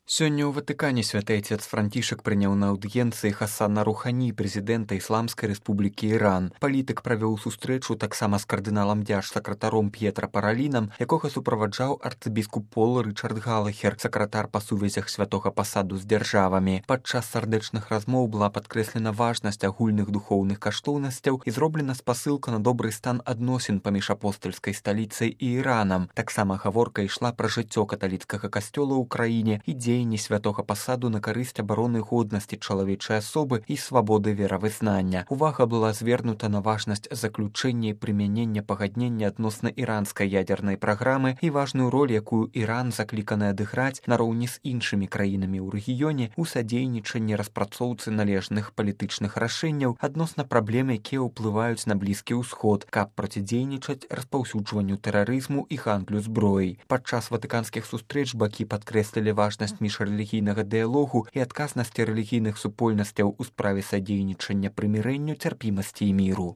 Сёння ў Ватыкане святы отец Францішак прыняў на аўдыенцыі Хасана Рухані, прэзідэнта Ісламскай Рэспублікі Іран. Палітык правёў сустрэчу таксама з кардыналам дзяржсакратаром П'етра Паралінам, якога суправаджаў арцыбіскуп Пол Рычард Галахер, сакратар па сувязях святога пасаду з дзяржавамі. Падчас сардэчных размоў была падкрэслена важнасць агульных духоўных каштоўнасцяў і зроблена спасылка на добры стан адносін паміж апостальскай сталіцай і Іранам. Таксама гаворка ішла пра жыццё каталіцкага касцёла ў краіне і дзеянні святога пасаду на карысць абароны годнасці чалавечай асобы і свабоды веравызнання. Увага была звернута на важнасць заключэння і прымянення пагаднення адносна іранскай ядзернай праграмы і важную роль, якую Іран закліканы адыграць нароўні з іншымі краінамі ў рэгіёне ў садзейнічанні распрацоўцы належных палітычных рашэнняў адносна праблем, якія ўплываюць на Блізкі ўсход, каб процідзейнічаць распаўсюджванню тэрарызму і гандлю зброяй. Падчас ватыканскіх сустрэч бакі падкрэслілі важнасць міжрэлігійнага дыялогу і адказнасці рэлігійных супольнасцяў у справе садзейнічання прымірэнню, цярпімасці і міру.